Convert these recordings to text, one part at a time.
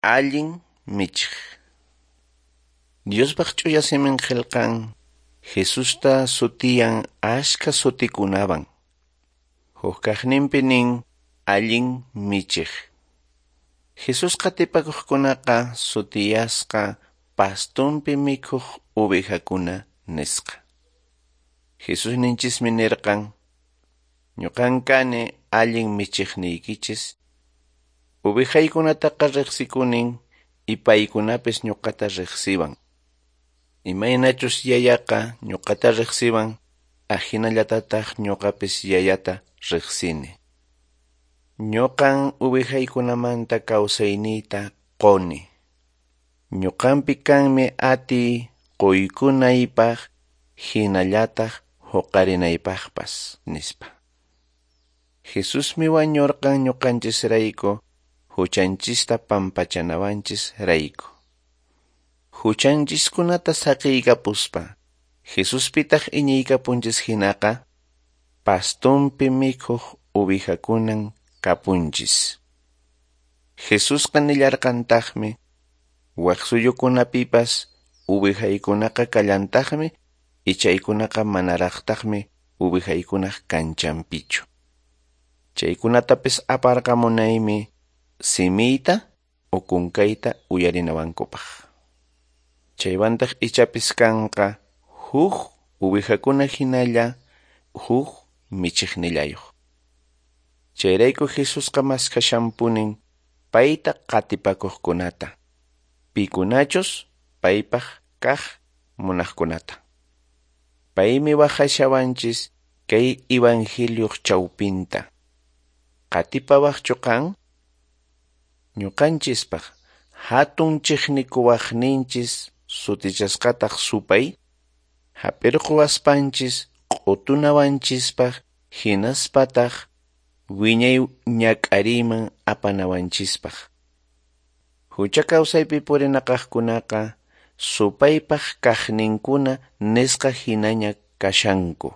Allin michiq. Diospaq ch'uya simin qillqan Jesusta sutiyan ashka sutikunawan. Huk kaqninpi nin allin michiq. Jesus qatipakuqkunaqa sutiyasqa pastunpi mikhuq ovejakuna nisqa. Jesus ninchismi nirqan, ñuqan kani allin michiqniykichis, ovejaykunataqa riqsikunin y paykunapis ñuqata riqsiwan. Imaynachus yayaqa ñuqata riqsiwan, ahinallatataq ñuqapis yayata riqsini. Ñuqan ovejaykunamanta kawsayniyta quni. Ñuqanpi kanmi atiy quykunaypaq hinallataq huqarinaypaqpas, nispa. Jesusmi wañurqan ñuqanchisrayku, huchanchista pampachanawanchis rayku. Huchanchiskunata saqiykapuspa, Jesuspitaq iñiykapunchis hinaqa, pastunpi mikhuq ovejakunan kapunchis. Jesusqa nillarqantaqmi, wak suyukunapipas ovejaykunaqa kallantaqmi y chaykunaqa manaraqtaqmi ovejaykunaq kanchanpichu. Chaykunatapis aparqamunaymi simiyta o kunkayta uyarinawankupaq. Chaywantaq ichapis kanqa huk ovejakuna hinalla huk michiqnillayuq. Chayrayku Jesusqa maskhashanpunin payta qatipakuqkunata, pikunachus paypaq kaq munaqkunata. Paymi waqashawanchis kay evangelioq chawpinta. Qatipawaqchu qan? Ñuqanchispaq hatun chiqnikuwaqninchis sutichasqataq supay, hap'irquwaspanchis q'utunawanchispaq hinaspataq wiñay ñak'ariyman apanawanchispaq. Hucha kawsaypi purinaqaqkunaqa supaypaq kaqninkuna nisqa hinaña kashanku.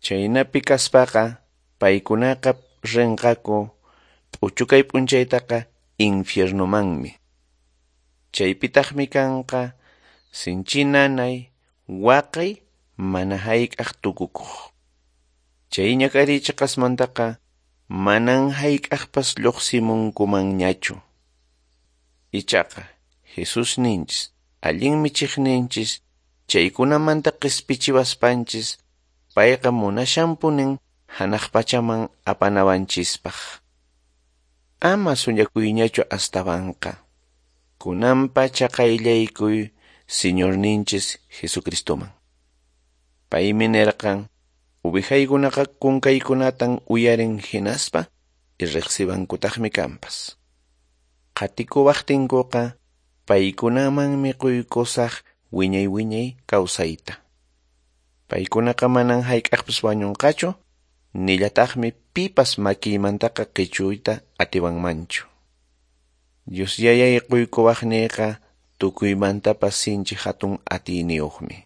Chaynapi kaspaqa paykunaqa rinqaku p'uchukay p'unchaytaqa infiernomanmi. Chaypitaqmi kanqa sinchi nanay, waqay, mana hayk'aq tukukuq. Chay ñak'ariy chiqasmantaqa manan hayk'aqpas lluqsimunkumanñachu. Ichaqa Jesus ninchis, allin michiqninchis, chaykunamanta qispichiwaspanchis, payqa munashanpunin hanaq pachaman apanawanchispaq. Ama suñakuyñachu astawanqa. Kunanpacha qayllaykuy Señorninchis Jesucristoman. Paymi nirqan, ovejaykunaqa kunkaykunatan uyarin hinaspa y riqsiwankutaqmi kanpas. Qatikuwaqtinkuqa paykunamanmi quykusaq wiñay wiñay kawsayta. Paykunaqa manan hayk'aqpas wañunqachu, nillataqmi pipas makiymantaqa qichuyta atiwanmanchu. Dios yayay quykuwaqniyqa tukuymantapas sinchi hatun atiyniyuqmi.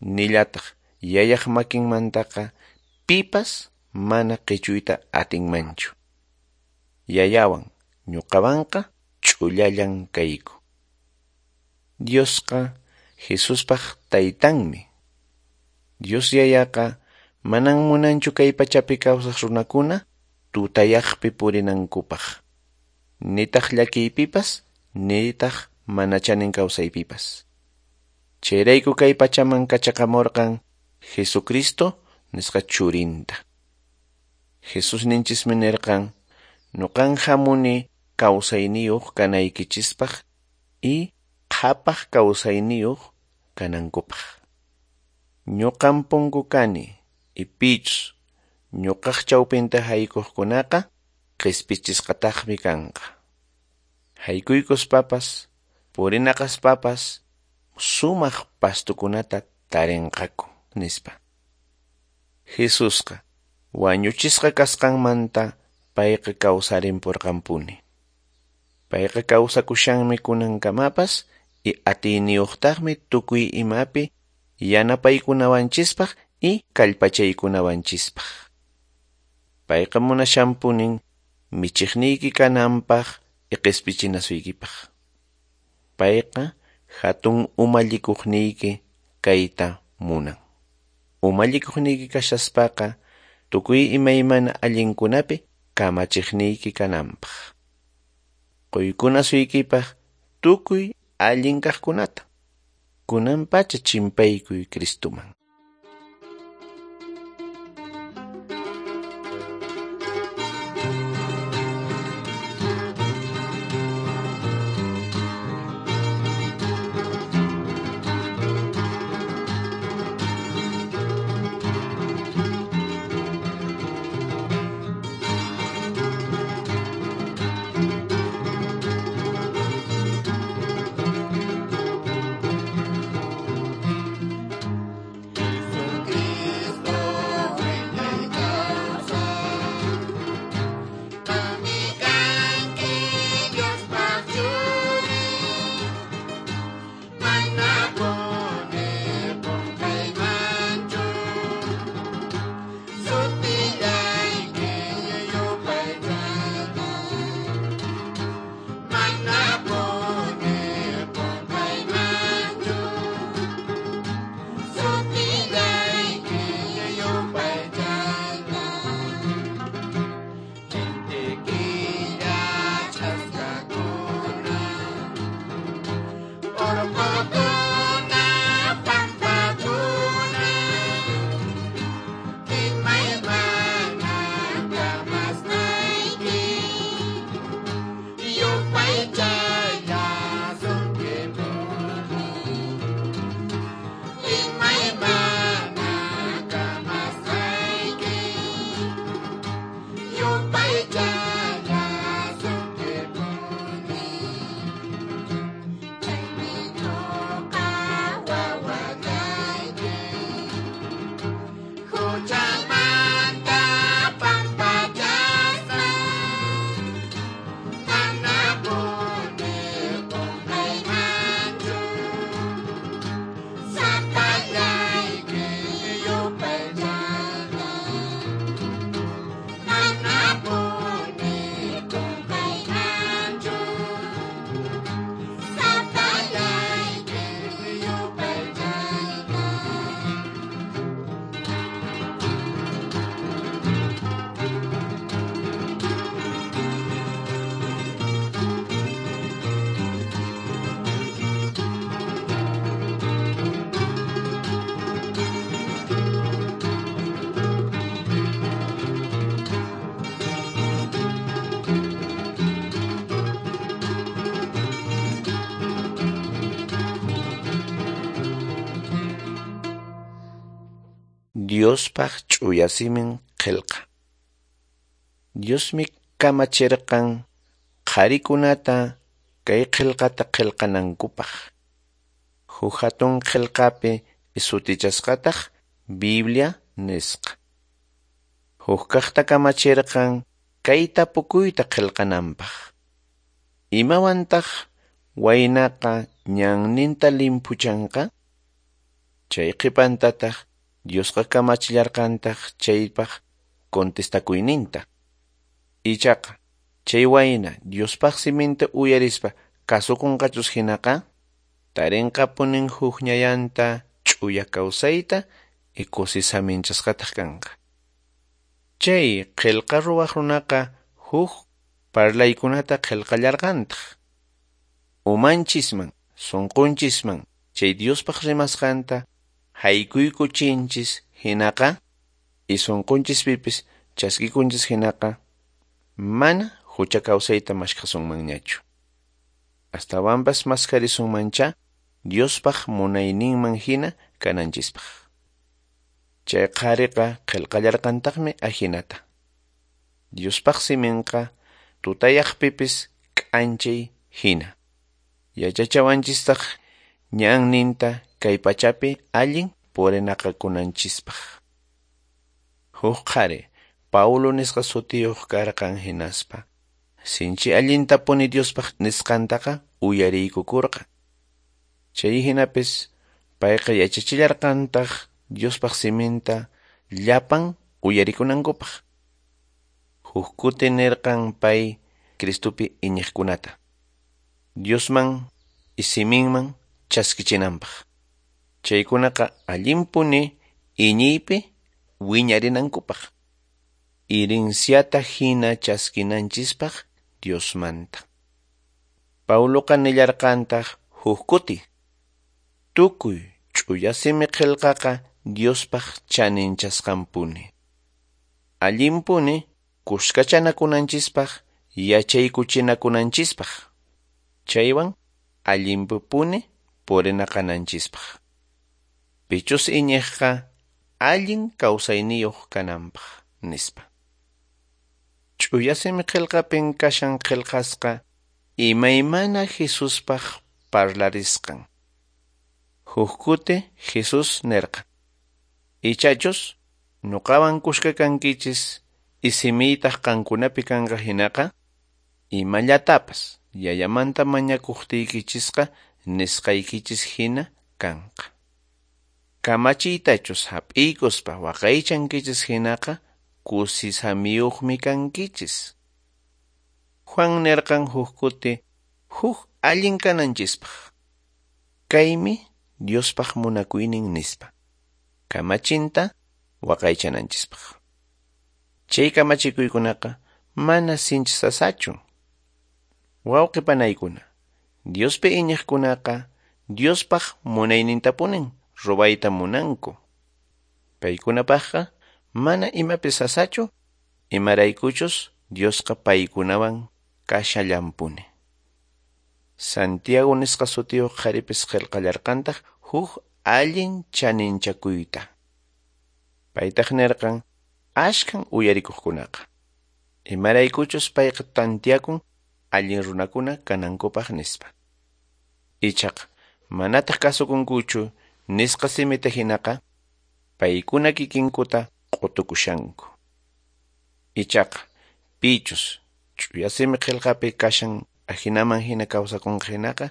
Nillataq yayaq makinmantaqa pipas mana qichuyta atinmanchu. Yayawan ñuqawanqa ch'ullallan kayku. Diosqa Jesuspaq taytanmi. Dios yayaqa manan munanchu kay pachapi kawsaq runakuna tutayaqpi purinankupaq. Nitaq llakiypipas, nitaq mana chanin kawsaypipas. Chayrayku kay pachaman kachaqamurqan Jesucristo nisqa churinta. Jesus ninchismi nirqan, ñuqan hamuni kawsayniyuq kanaykichispaq y qhapaq kawsayniyuq kanankupaq. Ñuqan punku kani y pichus ñuqaq chawpinta haykuqkunaqa qispichisqataqmi kanqa. Haykuykuspapas, purinaqaspapas sumaq pastukunata tarinqaku, nispa. Jesusqa wañuchisqa kasqanmanta payqa kawsarinpurqanpuni. Payqa kawsakushanmi kunankamapas y atiyniyuqtaqmi tukuy imapi yanapaykunawanchispaq y kallpachaykunawanchispaq. Payqa munashanpunin michiqniyki kananpaq qispichinasuykipaq. Payqa hatun umallikuqniyki kayta munan. Umallikuqniyki kashaspaqa tukuy imaymana allinkunapi kamachiqniyki kananpaq. Quykunasuykipaq tukuy allin kaqkunata. Kunan pacha chimpaykuy Cristuman. Diospaq ch'uya simin qillqa. Diosmi kamachirqan qharikunata kay qillqata qillqanankupaq. Huk hatun qillqapi sutichasqataq Biblia nisqa. Huk kaqta kamachirqan kay tapukuyta qillqananpaq. Imawantaq waynaqa ñanninta limpuchanqa? Chay qhipantataq Diosqa kamachillarqantaq chaypaq contestakuyninta. Ichaqa chay wayna Diospaq siminta uyarispa kasukunqachus hinaqa tarinqapunin huk ñayanta ch'uya kawsayta y kusisaminchasqataq kanqa. Chay qillqa ruwaq runaqa huk parlaykunata qillqallarqantaq. Umanchisman, sunqunchisman chay Diospaq rimasqanta haykuykuchinchis hinaqa y sunqunchispipis chaskikunchis hinaqa mana hucha kawsayta mashkhasunmanñachu. Astawanpas maskharisunmancha Diospaq munayninman hina kananchispaq. Chay qhariqa qillqallarqantaqmi ahinata. Diospaq siminqa tutayaqpipis k'anchay hina. Yachachawanchistaq ñanninta kay pachapi allin purinaqakunanchispaq. Huk qhari Paulo nisqa sutiyuq karqan hinaspa sinchi allintapuni Diospaq nisqantaqa uyariykukurqan. Chay hinapis payqa yachachillarqantaq Diospaq siminta llapan uyarikunankupaq. Huk kuti nirqan pay Cristopi iñiqkunata. Diosman isiminman chaskichinanpaq. Chaykunaqa allinpuni iñiypi wiñarinankupaq. Herenciata hina chaskinanchispaq Diosmanta. Pauloqa nillarqantaq huk kuti. Tukuy ch'uya simi qillqaqa Diospaq chaninchasqanpuni. Allinpuni kuskachanakunanchispaq yachaykuchinakunanchispaq. Chaywan allinpuni purinaqananchispaq. Pichus iñiqqa allin kawsayniyuq kananpaq nispa. Ch'uya simi qillqapin kashan qillqasqa imaymana Jesuspaq parlarisqan. Huk kuti Jesús nirqan: Ichachus nuqawan kuska kankichis isimiytaq qankunapi kanqa hinaqa imallatapas yayamanta mañakuqtiykichisqa nisqaykichis hina kanqa. Kamachiytachus hap'iykuspa waqaychankichis hinaqa kusisamiyuqmi kankichis. Juan nirqan huk kuti huk allin kananchispaq. Kaymi Diospaq munakuynin nispa. Kamachinta waqaychananchispaq. Chay kamachikuykunaqa mana sinchi sasachu. Wawqi panaykuna, Diospi iñiqkunaqa Diospaq munaynintapunin ruwayta munanku. Paykunapaqqa mana imapi sasachu, imaraykuchus Diosqa paykunawan kashallanpuni. Santiago nisqa sutiyuq qharipis qillqallarqantaq huk allin chaninchakuyta. Paytaq nirqan ashkan uyarikuqkunaqa. Imaraykuchus payqa tantiakun allin runakuna kanankupaq nispa. Ichaqa manataq kasukunkuchu nisqa simita hinaqa paykuna kikinkuta q'utukushanku. Ichaqa pichus ch'uya simi qillqapi kashan ajinaman hina kawsakunqa hinaqa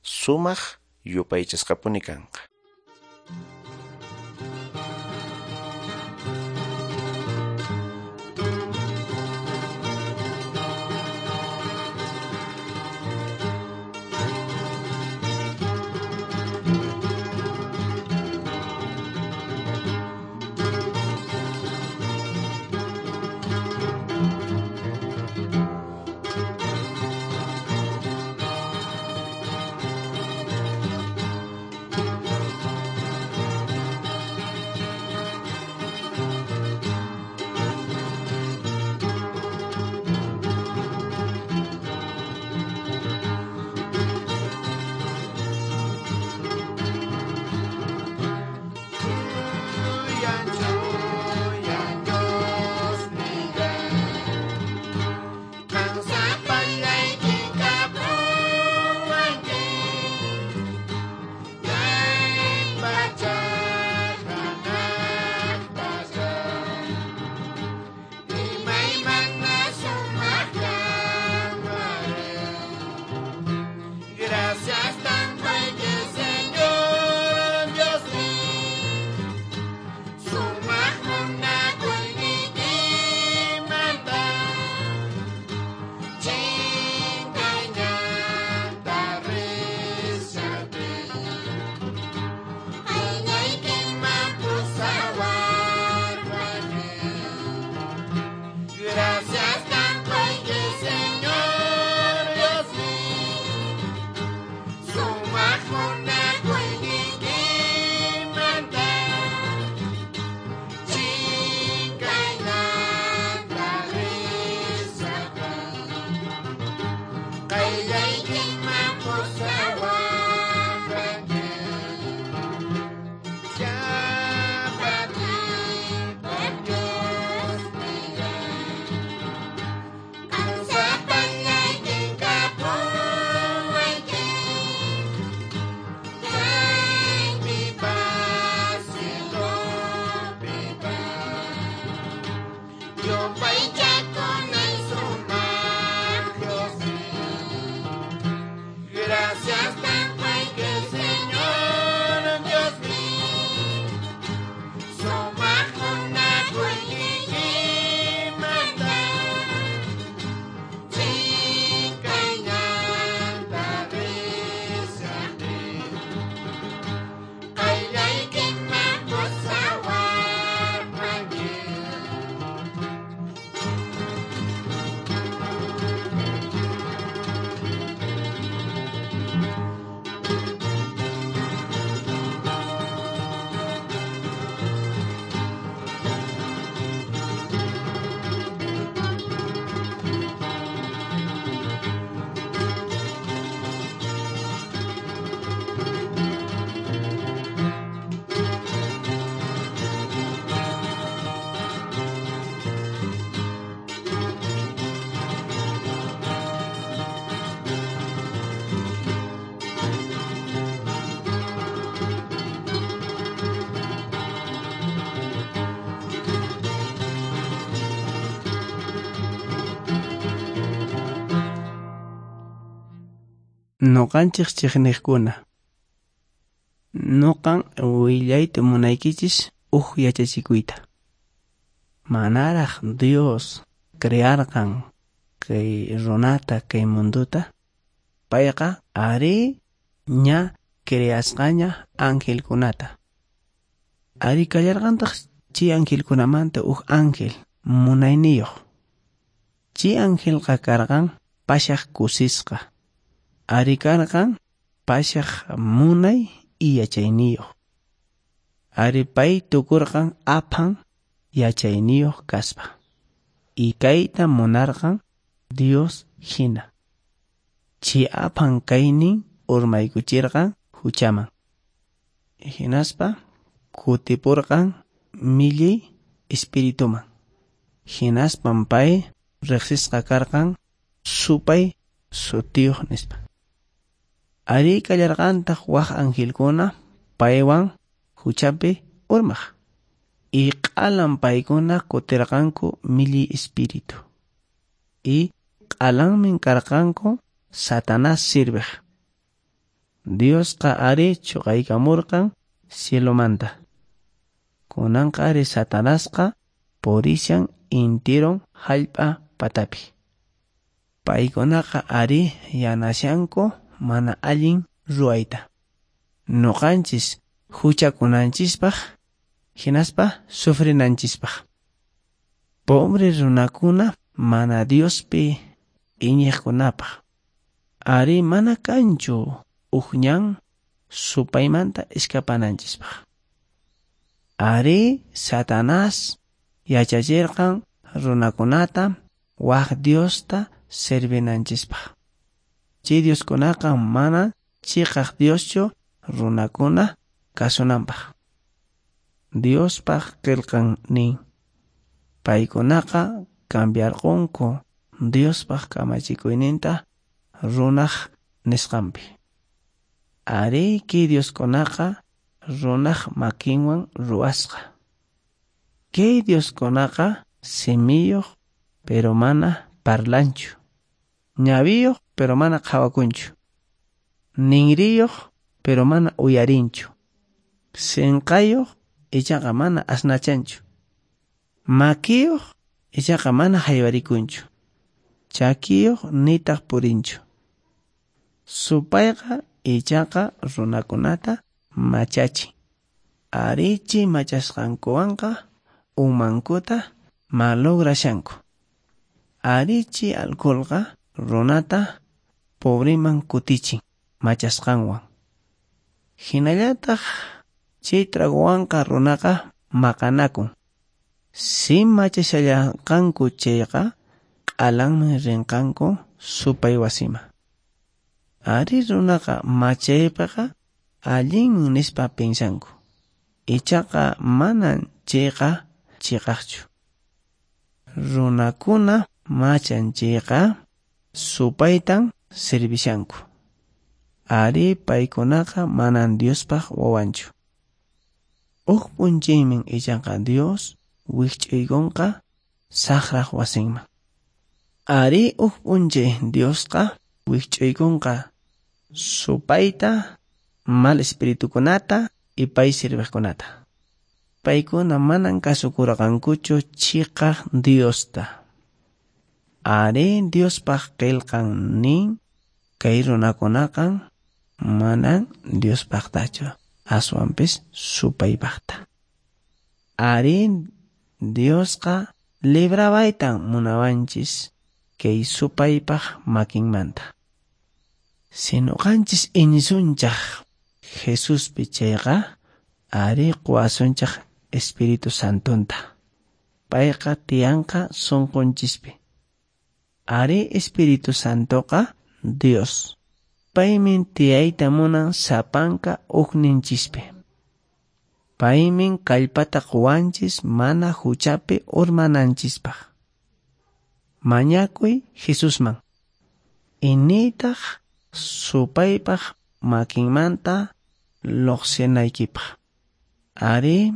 sumaq yupaychasqapuni kanqa. Noqanchis chiqniqkuna. Noqan willayta munaykichis uj yachachikuyta. Manaraq Dios crearqan kay runata kay mundota, payqa ari ña creasqaña angelkunata. Ari kallarqantaq chay angelkunamanta uj ángel munayniyuq. Chay angelqa karqan pashaq kusisqa. Ari karqan pashaq munay y yachayniyuq. Ari pay tukurqan aphan yachayniyuq kaspa. Y kayta munarqan Dios hina. Chay aphan kaynin urmaykuchirqan huchaman. Hinaspa kutipurqan millay espirituman. Hinaspan pay riqsisqa karqan supay sutiyuq nispa. Ari kallarqantaq waq angelkuna paywan huchapi urmaq. Y q'alan paykuna kutirqanku millay espíritu. Y q'alanmin karqanku Satanás sirviq. Diosqa ari chuqaykamurqan cielomanta. Kunanqa ari Satanasqa purishan intiron hallp'a patapi. Paykunaqa ari yanashanku mana allin ruwayta. Noqanchis huchakunanchispaq hinaspa sufrinanchispaq. Pobre runakuna mana Diospi iñiqkunapaq. Ari mana kanchu uj ñan supaymanta escapananchispaq. Ari Satanás yachachirqan runakunata waq Diosta servinanchispaq. Chay Dioskunaqa mana chiqaq Dioschu runakuna kasunanpaq. Diospaq qillqan nin. Paykunaqa cambiarqunku Diospaq kamachikuyninta runaq nisqanpi. Ari kay Dioskunaqa runaq makinwan ruwasqa. Kay Dioskunaqa simiyuq pero mana parlanchu. Ñawiyuq pero mana qhawakunchu. Ninriyuq pero mana uyarinchu. Sinqayuq ichaqa mana asnachanchu. Makiyuq ichaqa mana haywarikunchu. Chakiyuq nitaq purinchu. Supayqa ichaqa runakunata machachin. Arichi machasqankuwanqa umankuta malograshanku. Arichi alcoholqa runata pobreman kutichin machasqanwan. Hinallataq chay tragowanqa runaqa maqanakun. Si machashallanqanku chayqa q'alanman rinqanku supay wasiman. Ari runaqa machaypiqa allinmi nispa pinsanku. Ichaqa manan chayqa chiqaqchu. Runakuna machan chayqa supaytan servishanku. Ari paykunaqa manan Diospaq wawanchu. Uj p'unchaymin ichaqa Dios wikch'uykunqa saqraq wasinman. Ari uj p'unchay Diosqa wikch'uykunqa supayta, mal espiritukunata y pay sirviqkunata. Paykuna manan kasukurqankuchu chiqaq Diosta. Ari Diospaq qillqan nin kay runakunaqa manan Diospaqtachu, aswanpis supaypaqta. Ari Diosqa librawaytan munawanchis kay supaypaq makinmanta. Si noqanchis iñisunchaq Jesuspi chayqa ari quwasunchaq Espíritu Santonta. Payqa tiyanqa sunqunchispi. Ari Espíritu Santoqa Dios. Paymin tiyayta munan sapanka uqninchispi. Paymin kallpata quwanchis mana huchapi urmananchispaq. Mañakuy Jesusman. Initaq supaypaq makinmanta lluqsinaykipaq. Ari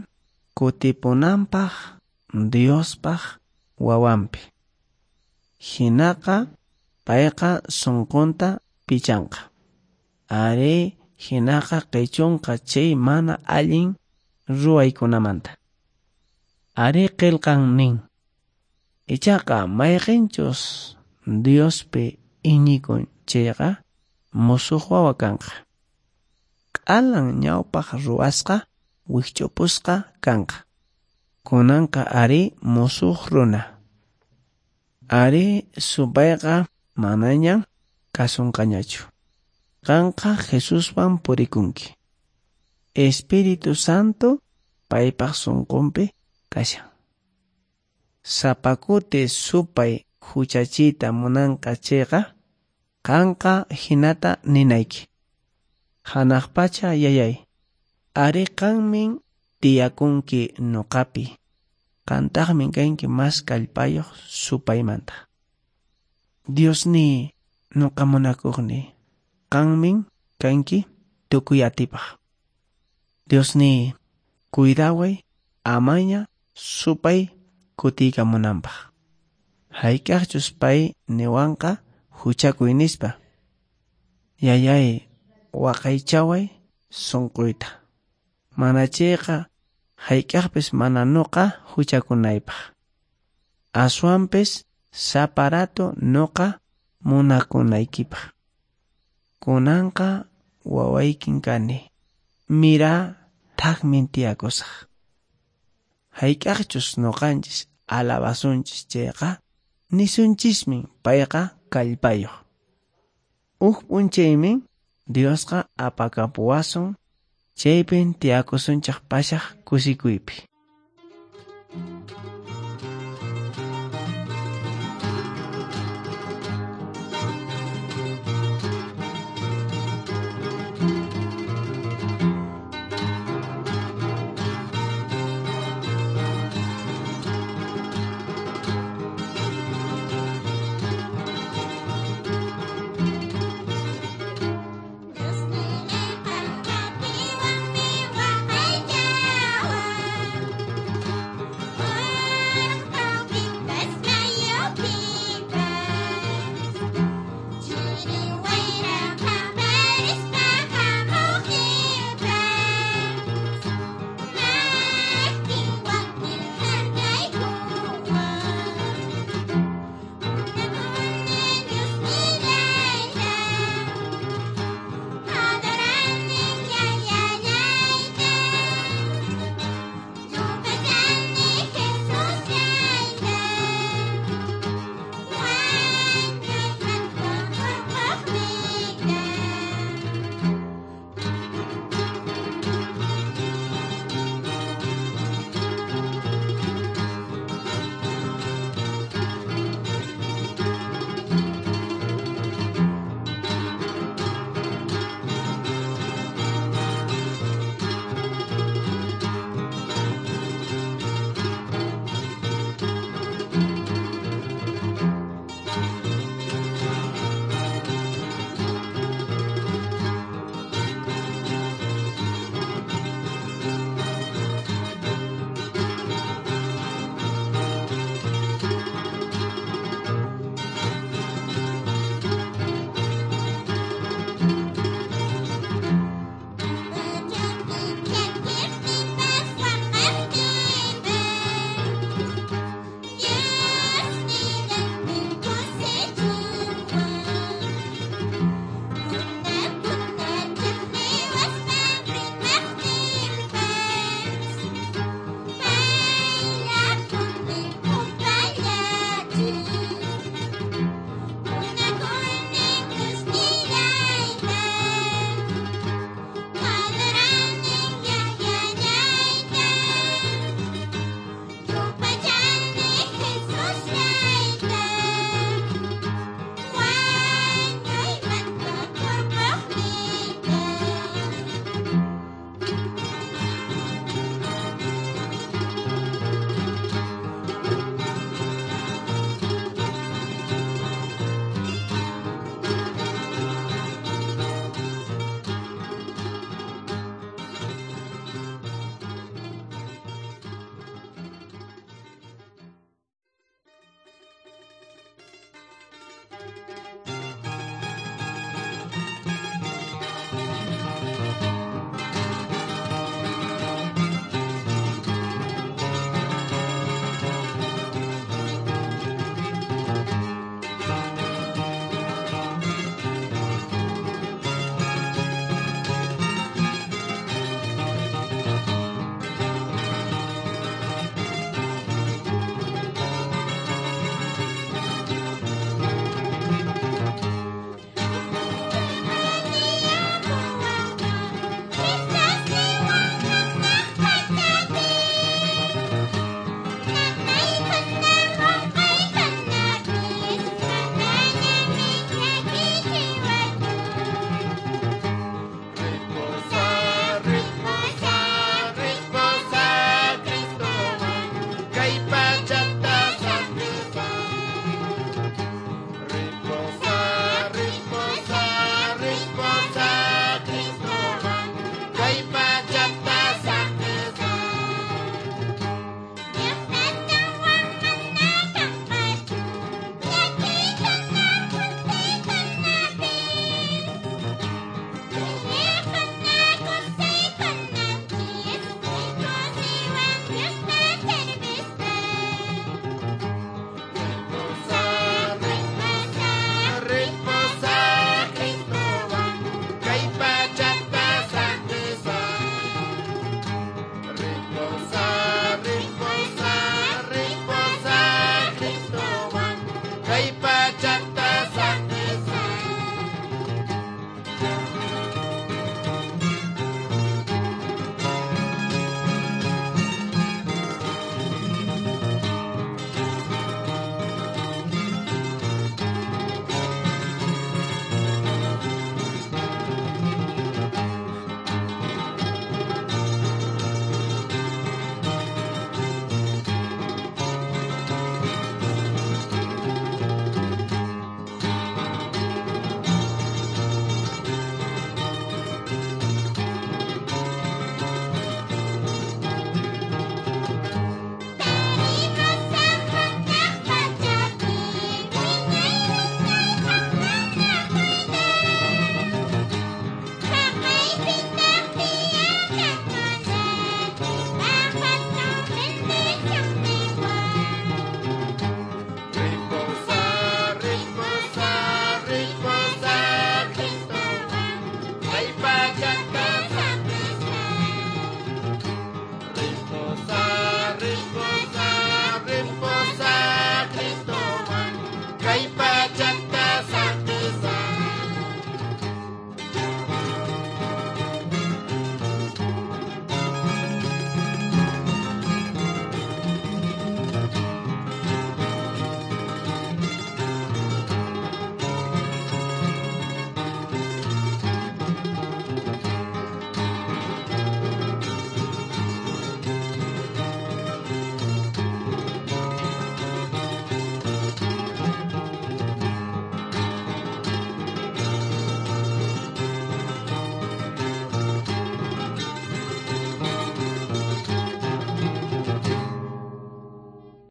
kutipunanpaq Diospaq wawanpi. Hinaqa payqa sunqunta pichanqa. Ari hinaqa qichunqa chay mana allin ruwaykunamanta. Ari qillqan nin. Ichaqa mayqinchus Diospi iñikun chayqa musuq wawa kanqa. Q'alan ñawpaq ruwasqa wikch'upusqa kanqa. Kunanqa ari musuq runa. Ari supayqa manaña kasunqañachu. Qanqa Jesuswan purikunki. Espíritu Santo paypaq sunqunpi kashan. Sapa kuti supay huchachiyta munanqa chayqa, qanqa hinata ninayki. Hanaq pacha yayay, ari qanmin tiyakunki nuqapi, qantaqmi kanki mas kallpayuq supaymanta. Diosniy, nuqa munakuqniy, qanmin kanki tukuy atipaq. Diosniy, cuidaway amaña supay kutiykamunanpaq. Hayk'aqchus pay niwanqa huchakuy nispa. Yayay, waqaychaway sunquyta. Mana chayqa hayk'aqpis mana nuqa huchakunaypaq. Aswanpis sapa rato nuqa munakunaykipaq. Kunanqa wawaykin kani. Mira thakmin tiyakusaq. Hayk'aqchus nuqanchis alabasunchis chayqa, nisunchismin payqa kallpayuq. Huk p'unchaymin Diosqa apakapuwasun, chaypin tiyakusunchik pashaq kusikuypi.